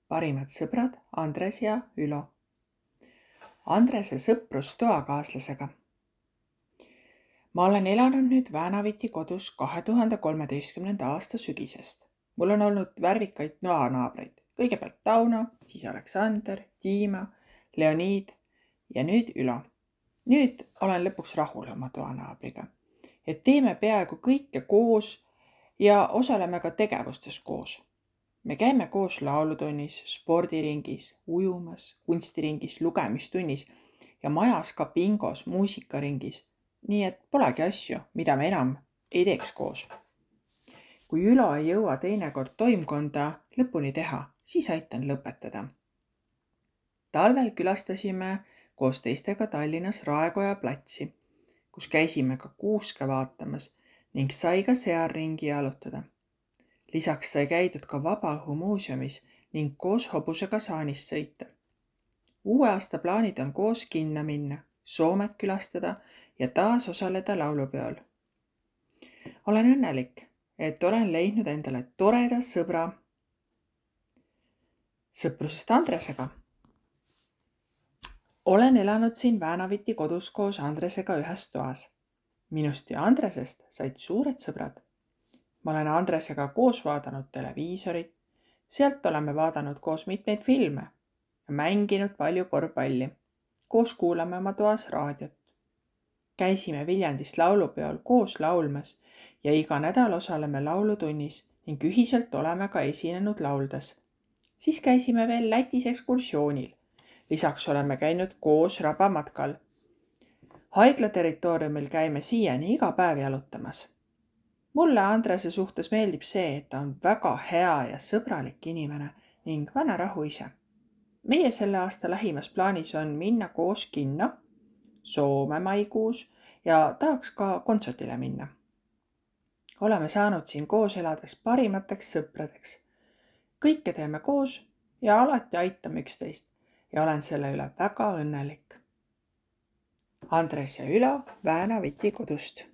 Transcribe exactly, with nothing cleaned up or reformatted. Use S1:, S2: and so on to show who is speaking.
S1: parimad sõbrad Andres ja Ülo. Andrese sõprus toakaaslasega. Ma olen elanud nüüd Väänaviti kodus kahe tuhande kolmeteistkümnenda aasta sügisest. Mul on olnud värvikaid noanaabreid. Kõigepealt Tauno, siis Aleksander, Dima, Leonid ja nüüd Ülo. Nüüd olen lõpuks rahul oma toanaabriga. Et teeme peaaegu kõike koos ja osaleme ka tegevustes koos. Me käime koos laulutunnis, spordiringis, ujumas, kunstiringis, lugemistunnis ja majas ka bingos, muusikaringis. Nii et polegi asju, mida me enam ei teeks koos. Kui Ülo ei jõua teinekord toimkonda lõpuni teha, siis aitan lõpetada. Talvel külastasime koos teistega Tallinnas Raekoja platsi, kus käisime ka kuuske vaatamas ning sai ka seal ringi jalutada. Lisaks sai käidud ka Vabaõhumuuseumis ning koos hobusega saanist sõita. Uue aasta plaanid on koos kinno minna, Soomet külastada ja taas osaleda laulupeol. Olen õnnelik, et olen leidnud endale toreda sõbra. Sõprusest Andresega. Olen elanud siin Väänaviti kodus koos Andresega ühes toas. Minust ja Andresest said suured sõbrad. Ma olen Andresega koos vaadanud televiisorit, sealt oleme vaadanud koos mitmeid filme ja mänginud palju korvpalli. Koos kuulame oma toas raadiot. Käisime Viljandis laulupeol koos laulmas ja iga nädal osaleme laulutunnis ning ühiselt oleme ka esinenud lauldes. Siis käisime veel Lätis ekskursioonil. Lisaks oleme käinud koos rabamatkal. Haigla territooriumil käime siiani iga päev jalutamas. Mulle Andrese suhtes meeldib see, et ta on väga hea ja sõbralik inimene ning vana rahu ise. Meie selle aasta lähimas plaanis on minna koos kinno, Soome maikuus ja tahaks ka kontserdile minna. Oleme saanud siin koos elades parimateks sõpradeks. Kõike teeme koos ja alati aitame üksteist ja olen selle üle väga õnnelik. Andres ja Ülo Väänaviti kodust.